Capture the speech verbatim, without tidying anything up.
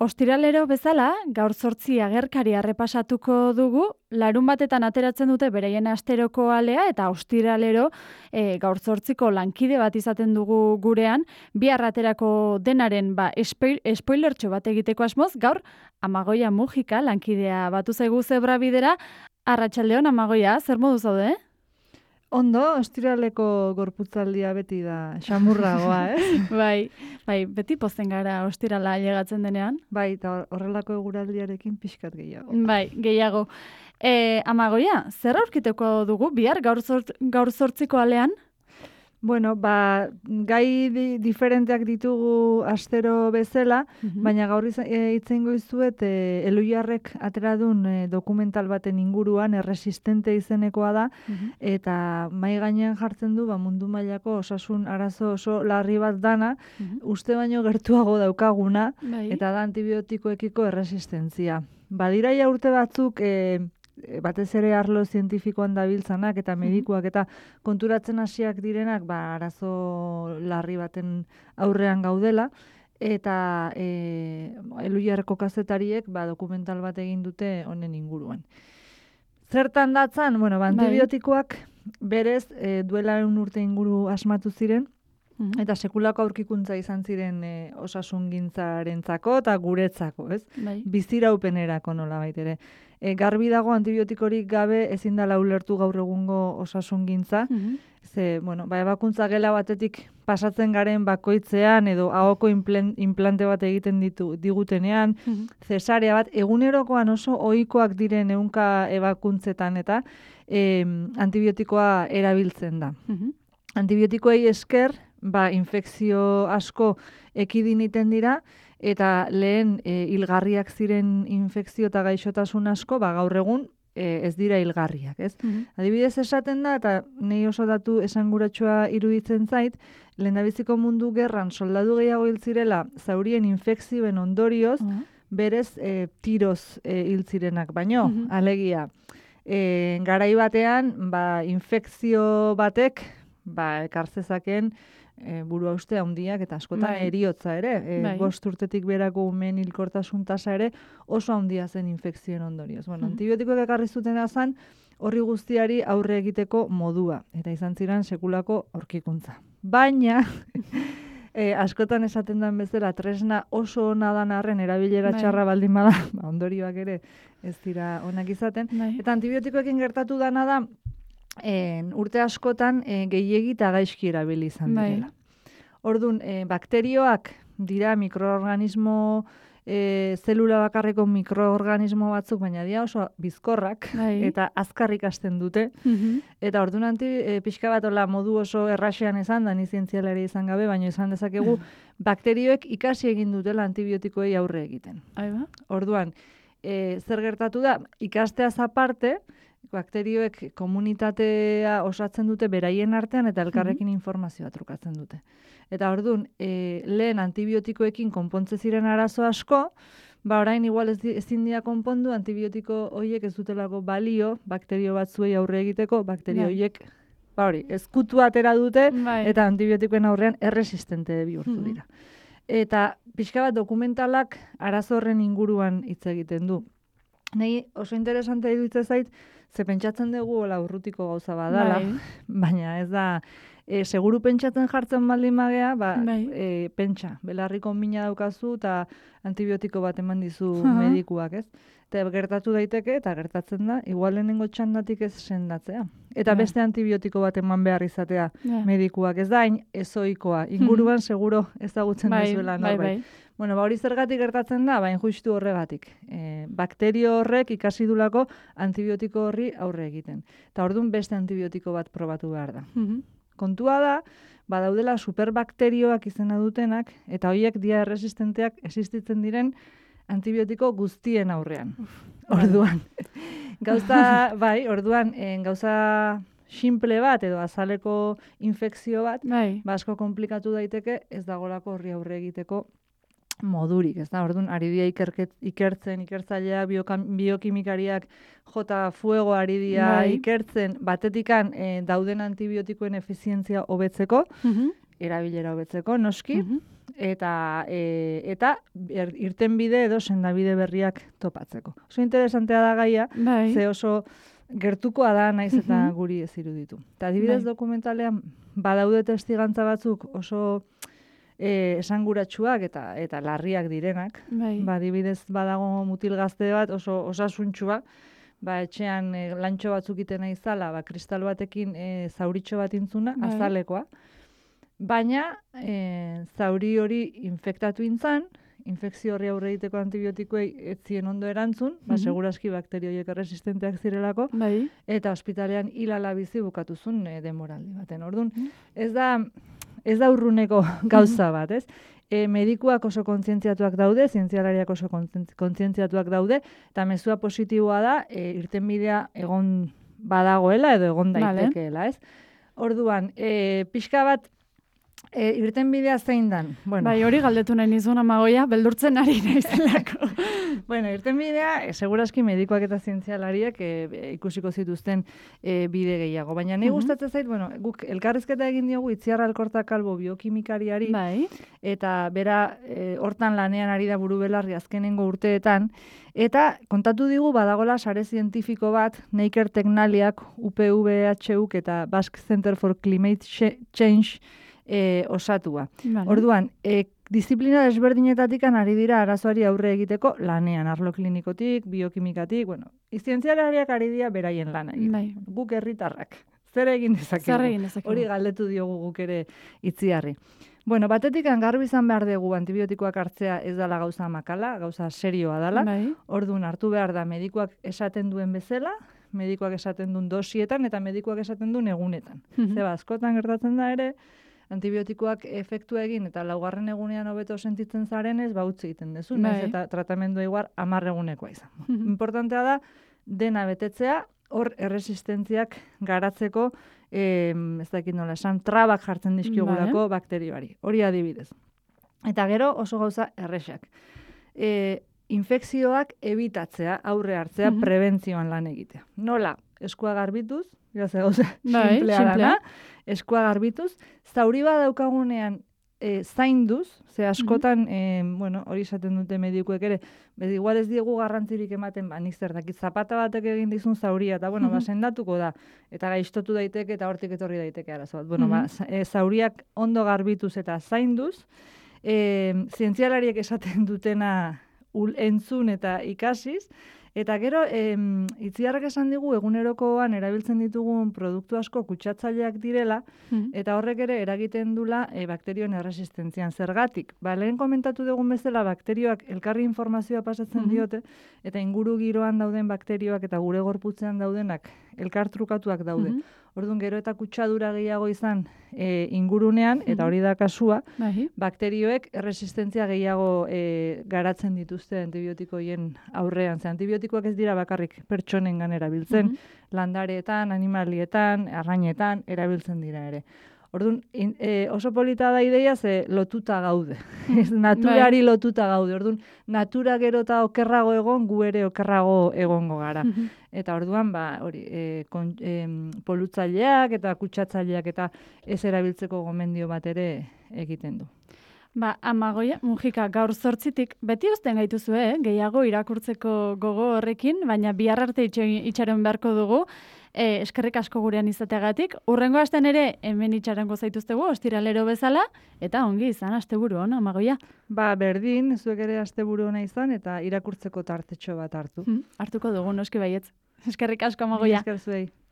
ostiralero bezala, gaur zortzi agerkari errepasatuko dugu, larun batetan ateratzen dute beraien asteroko alea, eta ostiralero e, gaur zortziko lankide bat izaten dugu gurean, bihar aterako denaren ba, spoilertxo bat egiteko asmoz, gaur Amagoia Mujika lankidea batu zaigu zebra bidera. Arratsaldeon, Amagoia, zer modu zaude? Ondo, ostiraleko gorputzaldia beti da xamurragoa, eh? bai, bai, beti pozten gara ostirala ailegatzen denean. Bai, eta horrelako eguraldiarekin pixkat gehiago. Bai, gehiago. E, Amagoia, zer aurkituko dugu bihar gaur, zort, gaur zortziko alean? Bueno, ba, gai di, diferenteak ditugu astero bezala, mm-hmm. baina gaur itzen goizuet e, Eluiarrek ateradun e, dokumental baten inguruan erresistente izenekoa da, mm-hmm. eta mai gainean jartzen du ba, mundu mailako osasun arazo oso larri bat dana, mm-hmm. uste baino gertuago daukaguna, bai. Eta da antibiotikoekiko erresistentzia. Badira ja urte batzuk e, batez ere arlo zientifikoan dabiltzanak eta medikuak eta konturatzen hasiak direnak ba, arazo larri baten aurrean gaudela, eta e, Eluiarreko kazetariek ba, dokumental bat egin dute honen inguruan. Zertan datzan, bueno, ba, antibiotikoak berez e, duela egun urte inguru asmatu ziren, eta sekulako aurkikuntza izan ziren e, osasungintzarentzako eta guretzako, ez? Bai. Biziraupenerako nolabait ere. E, garbi dago antibiotikorik gabe ezin dela ulertu gaur egungo osasungintza. Mm-hmm. Ze, bueno, ba, ebakuntza gela batetik pasatzen garen bakoitzean edo ahoko implante bat egiten ditu digutenean, mm-hmm. zesarea bat egunerokoan oso ohikoak diren ehunka ebakuntzetan eta e, antibiotikoa erabiltzen da. Mm-hmm. Antibiotikoei esker, ba, infekzio asko ekidin iten dira, eta lehen e, hilgarriak ziren infekzio eta gaixotasun asko, ba, gaur egun e, ez dira hilgarriak, ez? Mm-hmm. Adibidez esaten da, eta nahi oso datu esanguratsua iruditzen zait, lehendabiziko mundu gerran soldadu gehiago hil zirela zaurien infekzioen ondorioz, mm-hmm. berez e, tiroz e, hil zirenak, baino, mm-hmm. alegia. E, garai batean, ba, infekzio batek, ba, ekartzezaken e, buru hauste handiak eta askotan bai. Eriotza ere. E, bai. Bost urtetik berako umen hilkortasun tasa ere oso handia zen infekzioen ondorioz. Bueno, mm-hmm. antibiotikoek ekarri zutena zen horri guztiari aurre egiteko modua. Eta izan ziren sekulako aurkikuntza. Baina, e, askotan esaten den bezala tresna oso ona dan arren erabilera bai. Txarra baldin bada, ba, ondorioak ere ez dira onak izaten. Bai. Eta antibiotikoekin gertatu dana da, En, urte askotan e, gehiegi eta gaizki erabili izan direla. Orduan, e, bakterioak dira mikroorganismo, e, zelula bakarreko mikroorganismo batzuk, baina dira oso bizkorrak bai. Eta azkarrik hasten dute. Mm-hmm. Eta orduan anti, e, pixka bat ola modu oso erraxean izan, da ni zientzialari izan gabe, baina izan dezakegu bakterioek ikasi egin dutela antibiotikoei aurre egiten. Aiba. Orduan, e, zer gertatu da, ikasteaz aparte, bakterioek komunitatea osatzen dute beraien artean eta elkarrekin mm-hmm. informazioa trukatzen dute. Eta orduan, e, lehen antibiotikoekin konpontze ziren arazo asko, ba orain igual ez ezin dira konpondu antibiotiko horiek ez dutelako balio bakterio batzuei aurre egiteko, bakterio horiek ba hori, ezkutu atera dute bai. Eta antibiotikoen aurrean erresistente bihurtu mm-hmm. dira. Eta pixka bat dokumentalak arazo horren inguruan hitz egiten du. Nei oso interesante iruditzen zait, ze pentsatzen dugu hola urrutiko gauza badala, bai. Baina ez da, e, seguru pentsatzen jartzen baldin magea, ba, bai. e, pentsa, belarriko mina daukazu eta antibiotiko bat eman dizu uh-huh. medikuak, ez? Eta gertatu daiteke, eta gertatzen da, igual lehenengo txandatik ez sendatzea. Eta bai. Beste antibiotiko bat eman behar izatea bai. Medikuak, ez da, hain ezoikoa, inguruan hmm. seguro ezagutzen bai. Duzuela norbait. Bai, bai. Bueno, ba hori zergatik gertatzen da, bain justu horregatik. E, bakterio horrek ikasi dulako antibiotiko horri aurre egiten. Eta orduan beste antibiotiko bat probatu behar da. Mm-hmm. Kontua da, badaudela superbakterioak izena dutenak, eta horiek dia erresistenteak existitzen diren antibiotiko guztien aurrean. Uf, orduan. Gauza, bai, orduan, en, gauza simple bat edo azaleko infekzio bat, bai. Ba asko komplikatu daiteke, ez dagolako horri aurre egiteko modurik, ez da, orduan, ari dira ikerket, ikertzen, ikertzaileak, biokimikariak, jota fuego ari dira bai. Ikertzen, batetikan e, dauden antibiotikoen efizientzia hobetzeko, mm-hmm. erabilera hobetzeko, noski, mm-hmm. eta e, eta er, irtenbide edo sendabide berriak topatzeko. Oso interesantea da gaia, bai. ze oso gertukoa da naiz eta guri ez iruditu. Eta adibidez bai. dokumentalean badaude testigantza batzuk oso e, esanguratsuak eta eta larriak direnak. Bai. Ba, adibidez badago mutil gazte bat oso osasuntxua, ba, etxean e, lantxo batzuk iten izala, ba, kristal batekin e, zauritxo bat intzuna, bai. azalekoa. Baina e, zauri hori infektatu intzan, infekzio horri aurre egiteko antibiotikoei ez zien ondo erantzun, ba, seguraski bakterio horiek erresistenteak zirelako, bai. eta ospitalean hilala bizi bukatuzun e, denboraldi baten. Orduan, ez da, ez da urruneko gauza bat, ez? E, medikuak oso kontzientziatuak daude, zientzialariak oso kontzientziatuak daude, eta mezua positiboa da, e, irtenbidea egon badagoela edo egon daitekeela, ez? Orduan, e, pixka bat, E, irtenbidea zein dan? Bueno. Bai, hori galdetu nahi nizun Amagoia, beldurtzen ari naizelako. Bueno, irtenbidea, e, seguraski medikoak eta zientzialariak e, ikusiko zituzten e, bide gehiago. Baina nahi gustatzen zait, bueno, guk elkarrizketa egin diogu Itziar Alkorta Kalbo biokimikariari, bai. eta bera e, hortan lanean ari da buru belarri azkenengo urteetan, eta kontatu digu badagola sare zientifiko bat, Neiker Teknaliak, U P V H U eta Basque Center for Climate Change E, osatua. Vale. Orduan, e, disiplina desberdinetatik ari dira arazoari aurre egiteko lanean, arlo klinikotik, biokimikatik, bueno, zientzialariak ari dira beraien lana egin. Bai. Guk herritarrak. Zer egin dezakegu? Zer egin dezakegu? Hori galdetu diogu guk ere Itziarri. Bueno, batetik garbi izan behar dugu antibiotikoak hartzea ez dela gauza makala, gauza serioa dela. Bai. Orduan hartu behar da medikuak esaten duen bezala, medikuak esaten duen dosietan eta medikuak esaten duen egunetan. Zeba, askotan gertatzen da ere, antibiotikoak efektu egin eta laugarren egunean hobeto sentitzen zarenez, ba utzi egiten dezu, bai. naiz eta tratamendua igual hamar egunekoa izan. Importantea da dena betetzea, hor erresistentziak garatzeko, eh, ez dakit nola esan, trabak jartzen dizkiogulako vale. Bakterioari. Hori adibidez. Eta gero oso gauza erresak. E, infekzioak ebitatzea, aurre hartzea, uh-huh. prebentzioan lan egitea. Nola? Eskua garbituz, gauza gauza, bai, simplea dana, eskua garbituz, zauri bat daukagunean e, zainduz, ze askotan, mm -hmm. e, bueno, hori esaten dute medikuek ere, bez igual ez diegu garrantzirik ematen, ba, nik zer dakit, zapata batek egin dizun zauria, eta bueno, mm -hmm. ba, sendatuko da, eta gaiztotu daiteke, eta hortik etorri daiteke arazo bat. Bueno, mm -hmm. ba, e, zauriak ondo garbituz eta zainduz, e, zientzialariek esaten dutena ul, entzun eta ikasiz, eta gero, em, Itziarrak esan digu, egunerokoan erabiltzen ditugun produktu asko kutsatzaileak direla, mm. eta horrek ere eragiten dula e, bakterioen erresistentzian. Zergatik, ba, lehen komentatu dugun bezala, bakterioak elkarri informazioa pasatzen mm-hmm. diote, eta inguru giroan dauden bakterioak eta gure gorputzean daudenak elkartrukatuak daude. Mm-hmm. Orduan, gero eta kutsadura gehiago izan e, ingurunean, eta hori da kasua, mm-hmm. bakterioek erresistentzia gehiago e, garatzen dituzte antibiotikoien aurrean. Ze antibiotikoak ez dira bakarrik pertsonengan erabiltzen, mm-hmm. landareetan, animalietan, arrainetan erabiltzen dira ere. Orduan, in, e, oso polita da ideia ze lotuta gaude. Naturari lotuta gaude. Orduan, natura gero eta okerrago egon, gu ere okerrago egongo gara. Mm-hmm. Eta orduan, ba, hori, e, kon, e, polutzaileak eta kutsatzaileak eta ez erabiltzeko gomendio bat ere egiten du. Ba, Amagoia, Mujika, gaur zortzitik, beti uzten gaituzu, eh? Gehiago irakurtzeko gogo horrekin, baina bihar arte itxaren beharko dugu, e, eskerrik asko gurean izateagatik. Urrengo astean ere, hemen itxarengo zaituztegu, ostiralero bezala, eta ongi izan, asteburu hona, Amagoia. Ba, berdin, zuek ere asteburu hona izan, eta irakurtzeko tartetxo bat hartu. Hmm, hartuko dugu, noski baietz. Eskerrik asko, Amagoia. Esker zuei.